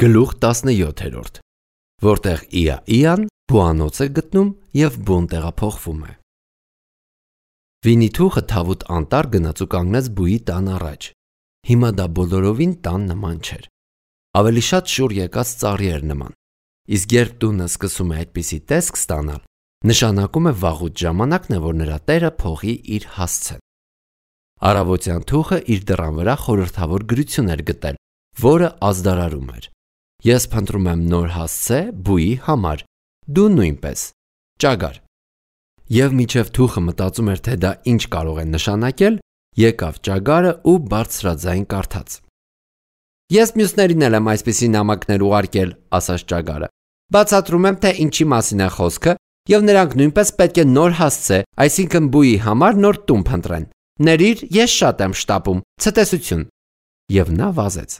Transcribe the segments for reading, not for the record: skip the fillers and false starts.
Գլուխ 17, որտեղ Իան բուանոց է գտնում և բուն տեղափոխվում է։ Վինի-Թուխը թավուտ անտառ գնաց ու կանգնեց բուի տան առաջ։ Հիմա դա բոլորովին տան նման չէր։ Ավելի շատ շուռ եկած ծառի էր նման։ Իսկ երբ տունը սկսում է այդպիսի տեսք ստանալ, նշանակում է վաղուց ժամանակն է, որ նրա տերը փողի իր հասցեն։ Առավոտյան Թուխը իր դռան վրա խորհրդավոր գրություն էր գտել, որը ազդարարում էր. Ես փնտրում եմ նոր հասցե բուի համար, դու նույնպես, ճագար։ Եվ մինչև Թուխը մտածում էր, թե դա ինչ կարող է նշանակել, եկավ ճագարը ու բարձրաձայն կարդաց։ Ես մյուսներին էլ եմ այսպիսի նամակներ ուղարկել, ասաց ճագարը։ Բացատրում եմ, թե ինչի մասին է խոսքը, և նրանք նույնպես պետք է նոր հասցե, այսինքն բուի համար նոր տուն փնտրեն։ Ներիր, ես շատ եմ շտապում, ցտեսություն։ Եվ նա վազեց։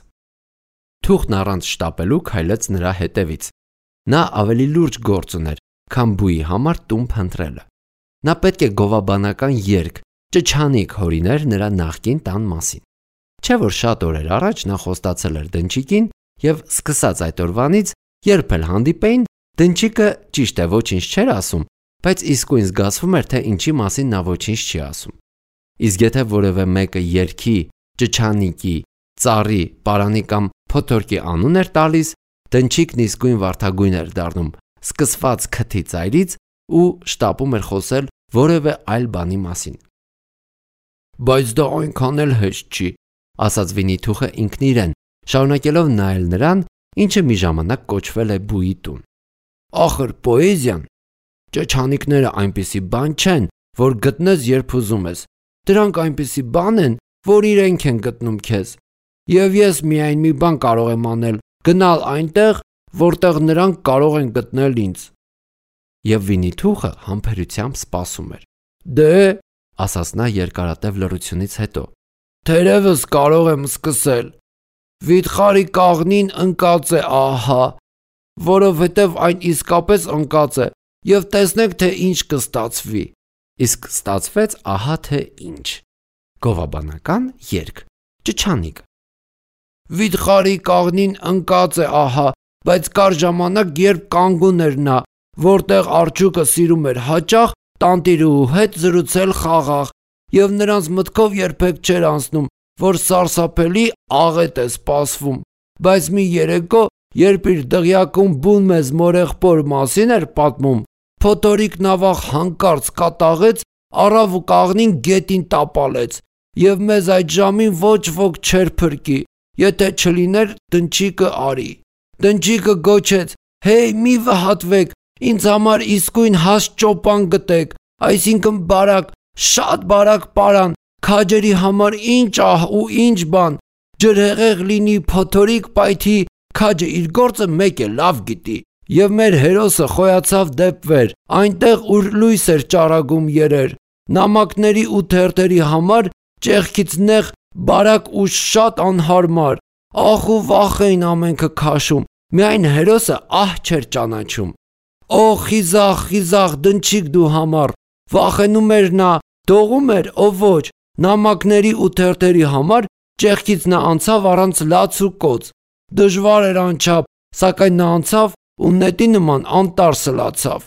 Թուխն առանց շտապելու քայլեց նրա հետևից։ Նա ավելի լուրջ գործ ուներ, քան բուի համար տուն փնտրելը։ Նա պետք է գովաբանական երգ, ճչանիկ հորիներ նրա նախկին տան մասին։ Չէ՞ որ շատ օրեր առաջ նա խոստացել էր Դնչիկին և սկսած այդ օրվանից, երբ էլ հանդիպեին, Դնչիկը ճիշտ է ոչինչ չէր ասում, բայց իսկույն զգացվում էր, թե ինչի մասին նա ոչինչ չի ասում։ Իսկ եթե որևէ մեկը երգի, ճչանիկի, ծառի, պարանի կամ փոթորկի անուն էր տալիս, Դնչիկն իսկույն վարդագույն էր դառնում, սկսված քթի ծայրից ու շտապում էր խոսել որևէ այլ բանի մասին։ Բայց դա այնքան էլ հեշտ չի, ասաց Վինի-Թուխը ինքն իրեն, շարունակելով նայել նրան, ինչը մի ժամանակ կոչվել է բուի տուն։ Ախր պոեզիան, ճչանիկները այնպիսի բան չեն, որ գտնես երբ ուզում ես։ Դրանք այնպիսի բան են, որ իրենք են գտնում քեզ։ Եվ ես միայն մի բան կարող եմ անել, գնալ այնտեղ, որտեղ նրանք կարող են գտնել ինձ։ Եվ Վինի-Թուխը համբերությամբ սպասում էր։ Դե, ասաց նա երկարատև լռությունից հետո, թերևս կարող եմ սկսել։ Վիթխարի կաղնին ընկած է ահա, որովհետև այն իսկապես ընկած է, և տեսնեք, թե ինչ կստացվի։ Իսկ ստացվեց ահա թե ինչ։ Գովաբանական երգ, ճչանիկ։ Վիթխարի կաղնին ընկած է ահա, բայց կար ժամանակ, երբ կանգուն էր նա, որտեղ արջուկը սիրում էր հաճախ տանտիրուհու հետ զրուցել խաղաղ, և նրանց մտքով երբեք չէր անցնում, որ սարսափելի աղետ է սպասվում, բայց մի երեկո, երբ իր դղյակում բուն մեզ մորեղբոր մասին էր պատմում, փոթորիկ նավախ հանկարծ կատաղեց, առավ ու կաղնին գետին տապալեց, և մեզ այդ ժամին ոչ ոք չէր փրկի, եթե չլիներ Դնչիկը արի։ Դնչիկը գոչեց. Հեյ, մի վհատվեք, ինձ համար իսկույն հաստ ճոպան գտեք, այսինքն բարակ, շատ բարակ պարան, քաջերի համար ինչ ահ ու ինչ բան, ջրհեղեղ լինի, փոթորիկ պայթի, քաջը իր գործը մեկ է լավ գիտի։ Եվ մեր հերոսը խոյացավ դեպ վեր, այնտեղ ուր լույս էր ճառագում երեր, նամակների ու թերթերի համար ճեղքից նեղ բարակ ու շատ անհարմար, ախ ու վախ էին ամենքը քաշում, միայն հերոսը ահ չէր ճանաչում։ Օ խիզախ, խիզախ Դնչիկ դու համար, վախենում էր նա, դողում էր, ով ոչ, նամակների ու թերթերի համար ճեղքից նա անցավ առանց լաց ու կոց, դժվար էր անչափ, սակայն նա անցավ ու նետի նման անտառ սլացավ։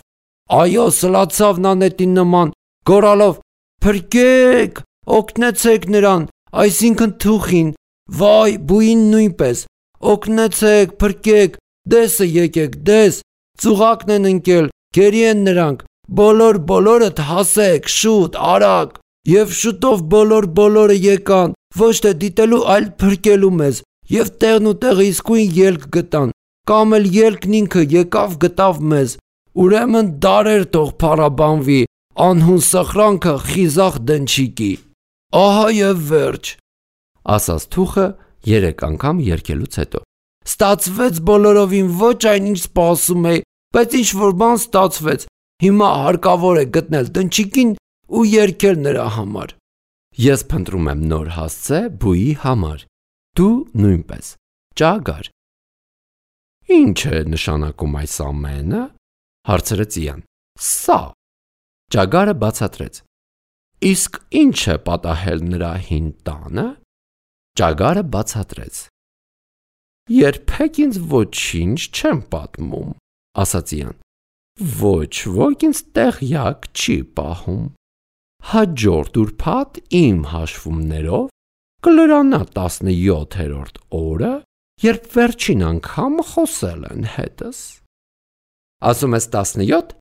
Այո, սլացավ նա նետի նման, գոռալով. Փրկեք, օգնեցեք նրան, այսինքն Թուխին, վայ, բուին նույնպես, օգնեցեք, փրկեք, դեսը եկեք, դես, ծուղակն են ընկել, գերի են նրանք, բոլորդ հասեք, շուտ, արագ։ Եվ շուտով բոլորը եկան, ոչ թե դիտելու, այլ փրկելու մեզ, և տեղն ու տեղը իսկույն ելք գտան, կամ էլ ելքն ինքը եկավ գտավ մեզ, ուրեմն դարեր թող փառաբանվի անհուն սխրանքը խիզախ Դնչիկի։ Ահա և վերջ, ասաց Թուխը 3 անգամ երգելուց հետո։ Ստացվեց բոլորովին ոչ այն ինչ սպասում էի, բայց ինչ որ բան ստացվեց, հիմա հարկավոր է գտնել Դնչիկին ու երգել նրա համար։ Ես փնտրում եմ նոր հասցե բուի համար, դու նույնպես, ճագար։ Ինչ է նշանակում այս ամենը, հարցրեց Իան։ Սա։ Ճագարը բացատրեց։ Իսկ ինչ է պատահել նրա հին տանը։ Ճագարը բացատրեց։ Երբեք ինձ ոչինչ չեմ պատմում, ասաց Իան։ Ոչ ոք ինձ տեղյակ չի պահում։ Հաջորդ ուրբաթ իմ հաշվումներով կլրանա 17-րդ օրը, երբ վերջին անգամ խոսել են հետս։ Ասում ես 17,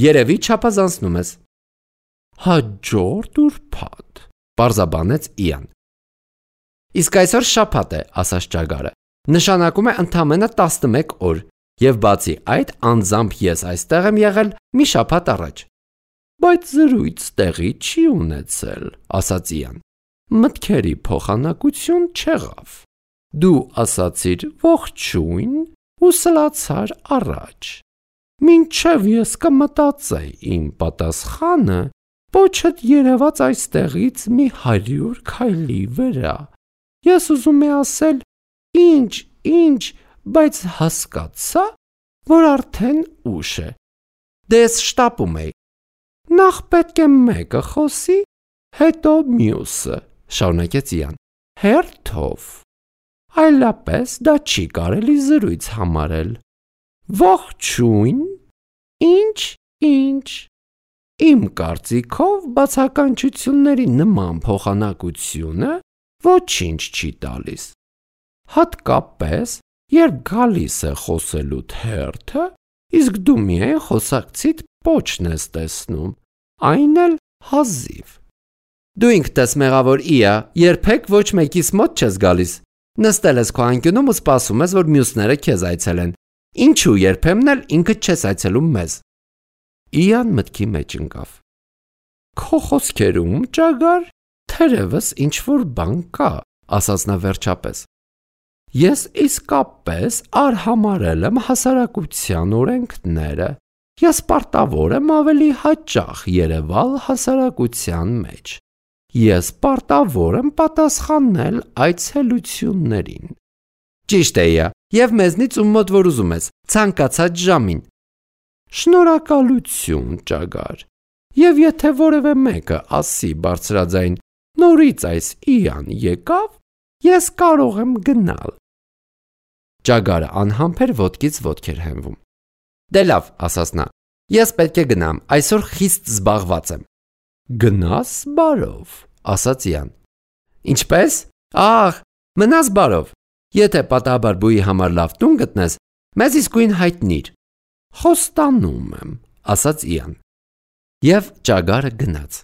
երևի չափազանցնում ես։ Հաջորդ ուրբաթ, պարզաբանեց Իան։ Իսկ այսօր շաբաթ է, ասաց Ճագարը, նշանակում է ընդամենը 11 օր, եւ բացի այդ անձամբ ես այստեղ եմ եղել մի շաբաթ առաջ։ Բայց զրույց տեղի չի ունեցել, ասաց Իան։ Մտքերի փոխանակություն չեղավ։ Դու ասացիր ողջույն ու սլացար առաջ։ Մինչև ես կմտածեի իմ պատասխանը, պոչդ երևաց այստեղից մի 100 քայլի վրա։ Ես ուզում եմ ասել ինչ, բայց հասկացա, որ արդեն ուշ է։ Դե ես շտապում էի։ Նախ պետք է մեկը խոսի, հետո մյուսը, շարունակեց Իան։ Հերթով։ Այլապես դա չի կարելի զրույց համարել։ Ողջույն, ինչ։ Իմ կարծիքով բացականչությունների նման փոխանակությունը ոչինչ չի տալիս։ Հատկապես, երբ գալիս է խոսելուդ հերթը, իսկ դու միայն խոսակցիդ պոչն ես տեսնում, այն էլ հազիվ։ Դու ինքդ ես մեղավոր Իա, երբեք ոչ մեկիս մոտ չես գալիս։ Նստել ես քո անկյունում ու սպասում ես, որ մյուսները քեզ այցելեն։ Ինչու երբեմն էլ ինքդ չես այցելում մեզ։ Իան մտքի մեջ ընկավ։ Քո խոսքերում, Ճագար, թերևս ինչ-որ բան կա, ասաց նա վերջապես։ Ես իսկապես արհամարել եմ հասարակության օրենքները։ Ես պարտավոր եմ ավելի հաճախ երևալ հասարակության մեջ։ Ես պարտավոր եմ պատասխանել այցելություններին։ Ճիշտ է, Իա, եւ մեզնից ում մոտ որ ուզում ես, ցանկացած ժամին։ Շնորհակալություն, Ճագար։ Եվ եթե որևէ մեկը ասի բարձրաձայն, նորից այս Իան եկավ, ես կարող եմ գնալ։ Ճագարը անհամբեր ոտքից ոտք էր հենվում։ Դե լավ, ասաց նա, ես պետք է գնամ, այսօր խիստ զբաղված եմ։ Գնաս բարով, ասաց Իան։ Ինչպես։ Ահ, մնաս բարով։ Եթե պատահաբար բուի համար լավ տուն գտնես, մեզ իսկույն հայտնիր։ Խոստանում եմ, ասաց Իան։ Եվ Ճագարը գնաց։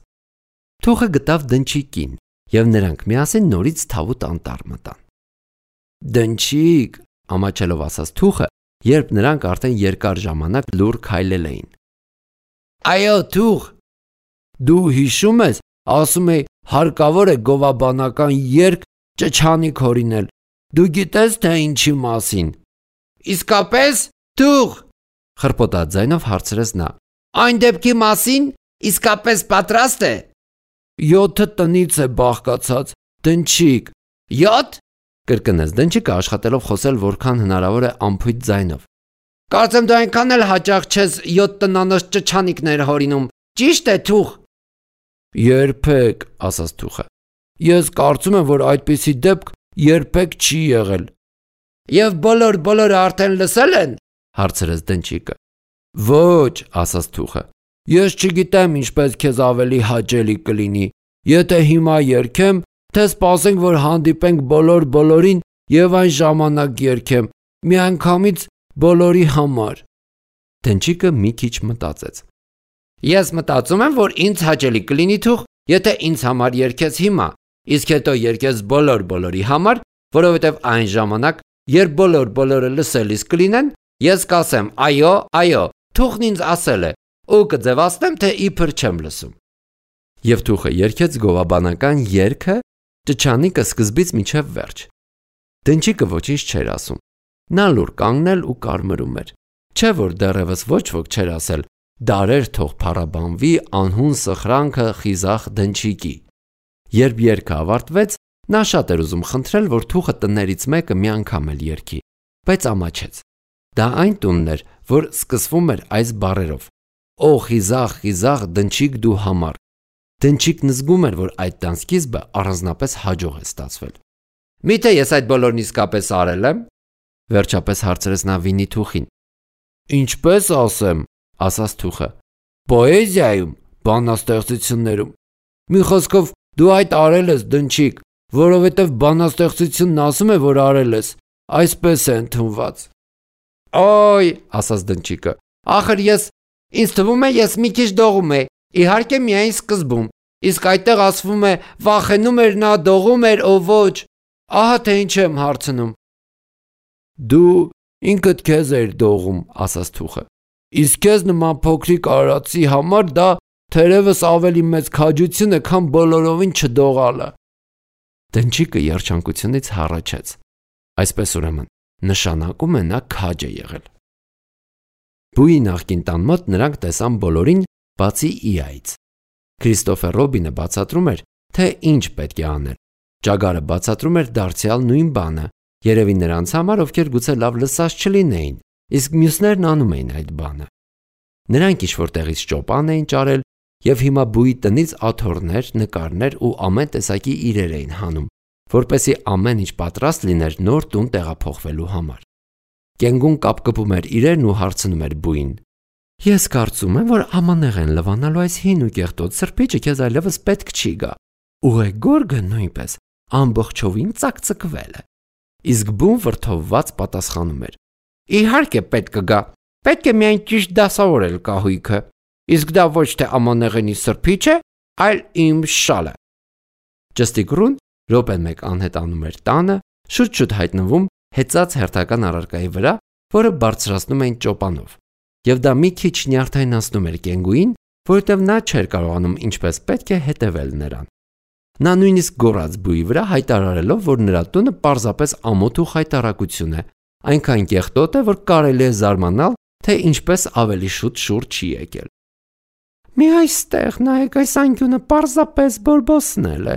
Թուխը գտավ Դնչիկին, եւ նրանք միասին նորից թավուտ անտառ մտան։ Դնչիկ, ամաչելով ասաց Թուխը, երբ նրանք արդեն երկար ժամանակ լուռ քայլել էին։ Այո, Թուխ, դու հիշում ես, ասում էի, հարկավոր է գովաբանական երգ ճչանիկ հորինել։ Դու գիտես թե ինչի մասին։ Իսկապես, Թուխ, խրպոտած ձայնով հարցրեց նա։ Այն դեպքի մասին իսկապես պատրաստ է։ 7 տնից է բաղկացած, Դնչիկ։ 7? Կրկնեց Դնչիկը աշխատելով խոսել որքան հնարավոր է անփույթ ձայնով։ Կարծեմ դու այնքան էլ հաճախ չես 7 տնանոց ճչանիկներ հորինում, ճիշտ է, Թուխ։ Երբեք, ասաց Թուխը։ Ես կարծում եմ, որ այդպիսի դեպք երբեք չի եղել։ Եվ բոլորը արդեն լսել են, հարցրեց Դնչիկը։ Ոչ, ասաց Թուխը։ Ես չգիտեմ ինչպես քեզ ավելի հաճելի կլինի, եթե հիմա երգեմ, թե սպասենք, որ հանդիպենք բոլորին եւ այն ժամանակ երգեմ, միանգամից բոլորի համար։ Դնչիկը մի քիչ մտածեց։ Ես մտածում եմ, որ ինձ հաճելի կլինի, Թուխ, եթե ինձ համար երգես հիմա, իսկ հետո երգես բոլորի համար, որովհետեւ այն ժամանակ, երբ բոլորը լսելիս կլինեն, ես կասեմ այո, Թուխն ինձ ասել է, ու կձևացնեմ, թե իբր չեմ լսում։ Եվ Թուխը երգեց գովաբանական երգը, ճչանիկը սկզբից մինչև վերջ։ Դնչիկը ոչինչ չէր ասում։ Նա լուր կանգնել ու կարմրում էր։ Չէ որ դեռևս ոչ ոք չէր ասել, դարեր թող փառաբանվի անհուն սխրանքը խիզախ Դնչիկի։ Երբ երգը ավարտվեց, նա շատ էր ուզում խնդրել, որ Թուխը տներից մեկը մի անգամ էլ երգի, բայց ամաչեց։ Դա այն տունն էր, որ սկսվում էր այս բառերով. Օ խիզախ Դնչիկ դու համար։ Դնչիկն զգում էր, որ այդ տան սկիզբը առանձնապես հաջող է ստացվել։ Միթե ես այդ բոլորն իսկապես արել եմ։ Վերջապես հարցրեց նա Վինի թուխին։ Ինչպես ասեմ, ասաց թուխը։ Պոեզիայում, բանաստեղծություններում։ Մի խոսքով դու այդ արել ես, դնչիկ, որովհետև բանաստեղծությունն ասում է, որ արել ես, այսպես է ընդունված։ Օй, ասաց դնչիկը, ախր ինձ թվում է ես մի քիչ դողում է, իհարկե միայն սկզբում, իսկ այդտեղ ասվում է վախենում էր նա, դողում էր, ով ոչ, ահա թե ինչ եմ հարցնում։ Դու ինքդ քեզ էր դողում, ասաց թուխը, իսկ քեզ նման փոքրիկ արածի համար դա թերևս ավելի մեծ քաջություն է, քան բոլորովին չդողալը։ Դնչիկը երջանկությունից հառաչեց։ Այսպես ուրեմն, նշանակում է նա քաջ է եղել։ Բուի նախկին տան մոտ նրանք տեսան բոլորին, բացի Իայից։ Քրիստոֆեր Ռոբինը բացատրում էր, թե ինչ պետք է անել։ Ճագարը բացատրում էր դարձյալ նույն բանը, երևի նրանց համար, ովքեր գուցե լավ լսած չլինեին, իսկ մյուսներն անում էին այդ բանը։ Նրանք ինչ-որ տեղից ճոպան էին ճարել և հիմա բուի տնից աթոռներ, նկարներ ու ամեն տեսակի իրեր էին հանում, որպեսզի ամեն ինչ պատրաստ լիներ նոր տուն տեղափոխվելու համար։ Կենգուն կապկպում էր իրերն ու հարցնում էր բուին. Ես կարծում եմ, որ ամանեղեն լվանալու այս հին ու կեղտոտ սրբիչը քեզ այլևս պետք չի գա։ Ուղեգորգը նույնպես ամբողջովին ծակծկվել է։ Իսկ բուն վրդովված պատասխանում էր. Իհարկե պետք կգա, պետք է միայն ճիշտ դասավորել կահույքը, իսկ դա ոչ թե ամանեղենի սրբիչ է, այլ իմ շալը։ Ճստիկռուն րոպեն մեկ անհետանում էր տանը, շուտ-շուտ հայտնվում հեծած հերթական առարկայի վրա, որը բարձրացնում էին ճոպանով, և դա մի քիչ նյարդայնացնում էր Կենգուին, որովհետև նա չէր կարողանում ինչպես պետք է հետևել նրան։ Նա նույնիսկ գոռաց բուի վրա, հայտարարելով, որ նրա տունը պարզապես ամոթ ու խայտառակություն է, այնքան կեղտոտ է, որ կարելի է զարմանալ, թե ինչպես ավելի շուտ շուռ չի եկել։ Մի այստեղ նայեք, այս անկյունը պարզապես բորբոսնել է,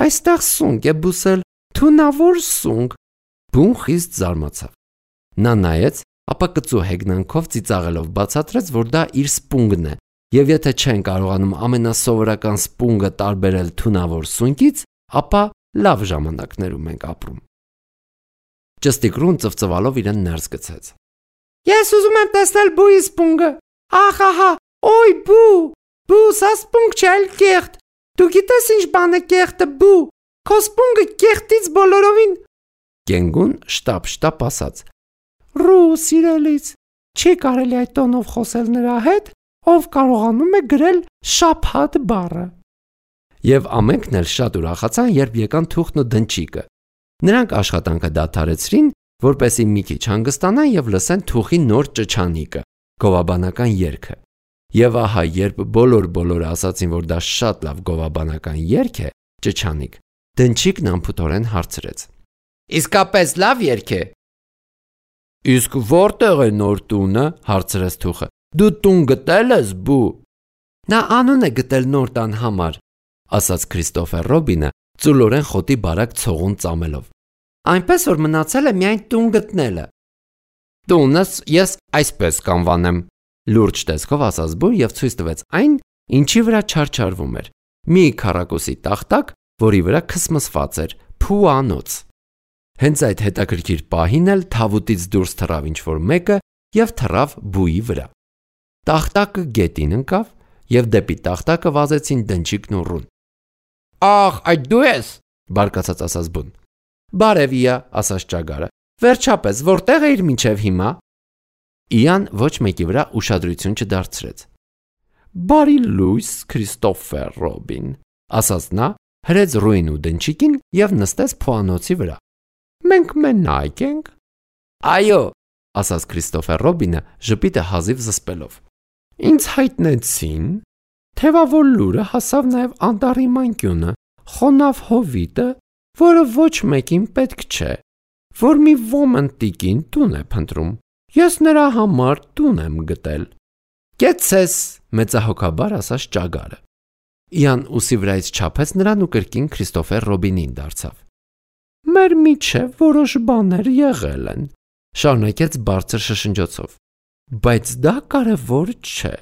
այստեղ սունկ է բուսել, թունավոր սունկ։ Բուն խիստ զարմացավ։ Նա նայեց, ապա կծու հեգնանքով ծիծաղելով բացատրեց, որ դա իր սպունգն է, և եթե չեն կարողանում ամենասովորական սպունգը տարբերել թունավոր սունկից, ապա լավ ժամանակներում ենք ապրում։ Ճստիկռուն ծվծվալով իրեն ներս գցեց։ Ես ուզում եմ տեսնել բուի սպունգը։ Ահա, օй բու, սա սպունգ չէ, այլ կեղտ։ Դու գիտես ինչ բան է կեղտը, բու, քո սպունգը կեղտից բոլորովին։ Կենգուն շտապ ասաց. Ռու սիրելից, չի կարելի այդ տոնով խոսել նրա հետ, ով կարողանում է գրել շաբաթ բառը։ Եվ ամենքն էլ շատ ուրախացան, երբ եկան թուխն ու դնչիկը։ Նրանք աշխատանքը դադարեցրին, որպեսզի մի քիչ հանգստանան և լսեն թուխի նոր ճչանիկը, գովաբանական երգը։ Եվ ահա, երբ բոլորը ասացին, որ դա շատ լավ գովաբանական երգ է, ճչանիկ, դնչիկն անփութորեն հարցրեց. Իսկապես լավ երգ է։ Իսկ որտեղ է նոր տունը, հարցրեց թուխը։ Դու տուն գտել ես, բու։ Նա անուն է գտել նոր տան համար, ասաց Քրիստոֆեր Ռոբինը, ծուլորեն խոտի բարակ ցողուն ծամելով։ Այնպես որ մնացել է միայն տուն գտնելը։ Տունս ես այսպես կանվանեմ, լուրջ տեսքով ասաց բուն և ցույց տվեց այն, ինչի վրա չարչարվում էր։ Մի քառակուսի տախտակ, որի վրա քսմսված էր փուանոց։ Հենց այդ հետաքրքիր պահին էլ թավուտից դուրս թռավ ինչ-որ մեկը և թռավ բուի վրա։ Տախտակը գետին ընկավ, և դեպի տախտակը վազեցին դնչիկն ու ռուն։ Ախ, այդ դու ես, բարկացած ասաց բուն։ Բարև Իա, ասաց ճագարը։ Վերջապես, որտեղ էիր մինչև հիմա։ Իան ոչ մեկի վրա ուշադրություն չդարձրեց։ Բարի լույս, Քրիստոֆեր Ռոբին, ասաց նա, հրեց ռուին ու դնչիկին և նստեց փուանոցի վրա։ Մենք մենակ ենք։ Այո, ասաց Քրիստոֆեր Ռոբինը ժպիտը հազիվ զսպելով։ Ինձ հայտնեցին, թևավոր լուրը հասավ նաև անտառի մանկյունը, խոնավ հովիտը, որը ոչ մեկին պետք չէ, որ մի ոմն տիկին տուն է փնտրում։ Ես նրա համար տուն եմ գտել։ Կեցես, մեծահոգաբար ասաց ճագարը։ Իան ուսի վրայից չափեց նրան ու կրկին Քրիստոֆեր Ռոբինին դարձավ։ Մեր միջև որոշ բաներ եղել են, շարունակեց բարձր շշնջոցով, բայց դա կարևոր չէ։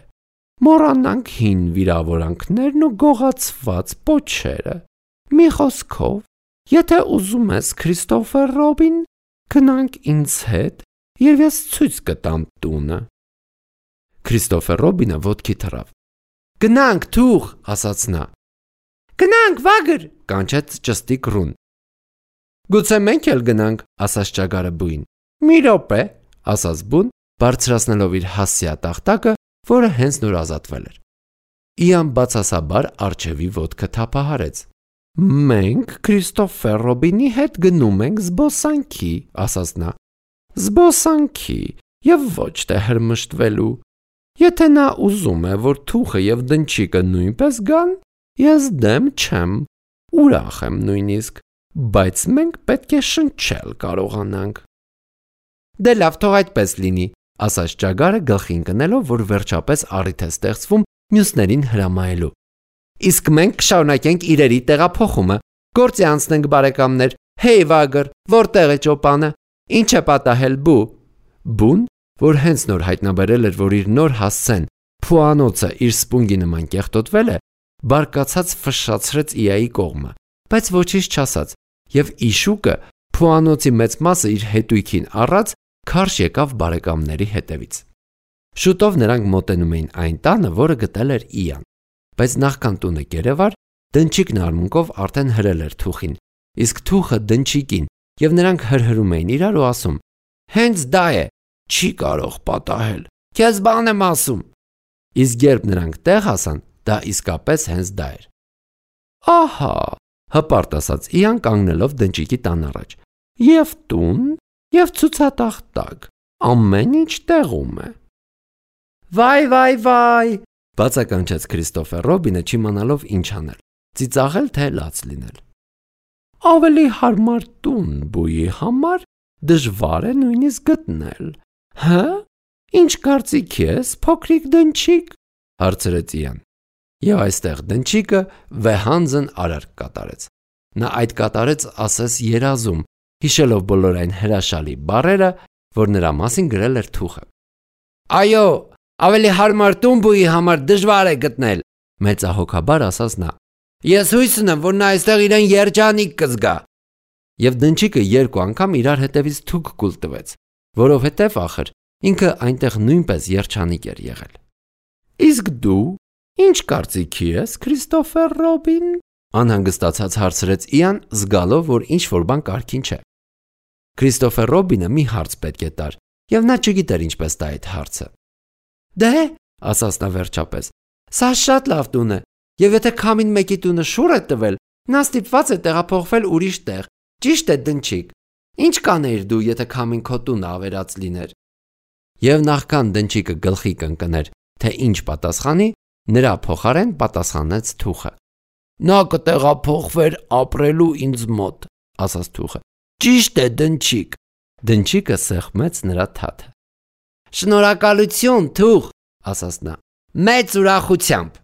Մոռանանք հին վիրավորանքներն ու գողացված պոչերը։ Մի խոսքով, եթե ուզում ես, Քրիստոֆեր Ռոբին, Գնանք ինձ հետ, եւ ես ցույց կտամ տունը։ Քրիստոֆեր Ռոբինը ոտքի թռավ։ Գնանք, թուղ, ասաց նա։ Գնանք, վագր, կանչեց ճստիկ Ռուն։ Գուցե մենք էլ գնանք, ասաց ճագարը բույն։ Մի րոպե, ասաց բուն, բարձրացնելով իր հասցեա տախտակը, որը հենց նոր ազատվել էր։ Իան բացասաբար արջևի ոտքը թափահարեց։ Մենք Քրիստոֆեր Ռոբինի հետ գնում ենք զբոսանքի, ասաց նա։ Զբոսանքի եւ ոչ թե հրմշտվելու։ Եթե նա ուզում է, որ թուխը եւ դնչիկը նույնպես գան, ես դեմ չեմ, ուրախ եմ նույնիսկ, բայց մենք պետք է շնչել կարողանանք։ Դե լավ, թող այդպես լինի, ասաց ճագարը գլխին կնելով, որ վերջապես առիթ է ստեղծվում մյուսներին հրամայելու։ Իսկ մենք կշարունակենք իրերի տեղափոխումը, գործի անցնենք բարեկամներ, հեյ վագր, որտեղ է ճոպանը, ինչ է պատահել բու։ Բուն, որ հենց նոր հայտնաբերել էր, որ իր նոր հասցեն փուանոցը իր սպունգի նման կեղտոտվել է, բարկացած ֆշշացրեց Իայի կողմը, բայց ոչինչ չասաց, եւ Իշուկը փուանոցի մեծ մասը իր հետույքին առած քարշ եկավ բարեկամների հետևից։ Շուտով նրանք մոտենում էին այն տանը, որը գտել էր Իան, բայց նախքան տունը կերևար, դնչիկն արմունկով արդեն հրել էր թուխին, իսկ թուխը դնչիկին, եւ նրանք հրհրում էին իրար ու ասում. Հենց դա է, չի կարող պատահել, քեզ բան եմ ասում։ Իսկ երբ նրանք տեղ հասան, դա իսկապես հենց դա էր։ Ահա, հպարտ ասաց Իան կանգնելով դնչիկի տան առաջ։ Եվ տուն, եւ ցուցատախտակ, ամեն ինչ տեղում է։ Վայ, բացականչեց Քրիստոֆեր Ռոբինը չիմանալով ինչ անել, ծիծաղել թե լաց լինել։ Ավելի հարմար տուն բույի համար դժվար է նույնիսկ գտնել։ Հա? Ինչ կարծիք ես, փոքրիկ դնչիկ, հարցրեց Իան։ Եվ այստեղ դնչիկը վեհանձն արարք կատարեց։ Նա այդ կատարեց ասես երազում, հիշելով բոլոր այն հրաշալի բառերը, որ նրա մասին գրել էր թուխը։ Այո, ավելի հարմար տուն բույի համար դժվար է գտնել, մեծահոգաբար ասաց նա։ Ես հույս ունեմ, որ նա այստեղ իրեն երջանիկ կզգա։ Եվ դնչիկը երկու անգամ իրար հետևից թուք կուլ տվեց, որովհետև ախր ինքը այնտեղ նույնպես երջանիկ էր եղել։ Իսկ դու ինչ կարծիքի ես, Քրիստոֆեր Ռոբին, անհանգստացած հարցրեց Իան, զգալով, որ ինչ-որ բան կարգին չէ։ Քրիստոֆեր Ռոբինը մի հարց պետք է տար, եւ նա չգիտեր ինչպես տա այդ հարցը։ Դե, ասաց նա վերջապես, սա շատ լավ տուն է, եւ եթե քամին մեկի տունը շուռ է տվել, նա ստիպված է տեղափոխվել ուրիշ տեղ։ Ճիշտ է, դնչիկ։ Ինչ կանեիր դու, եթե քամին քո տունը ավերած լիներ։ Եվ նախքան դնչիկը գլխի կընկներ, թե ինչ պատասխանի, նրա փոխարեն պատասխանեց թուխը։ Նա կտեղափոխվեր ապրելու ինձ մոտ, ասաց թուխը։ Ճիշտ է, դնչիկ։ Դնչիկը սեղմեց նրա թաթը։ Շնորհակալություն, թուխ, ասաց նա։ Մեծ ուրախությամբ։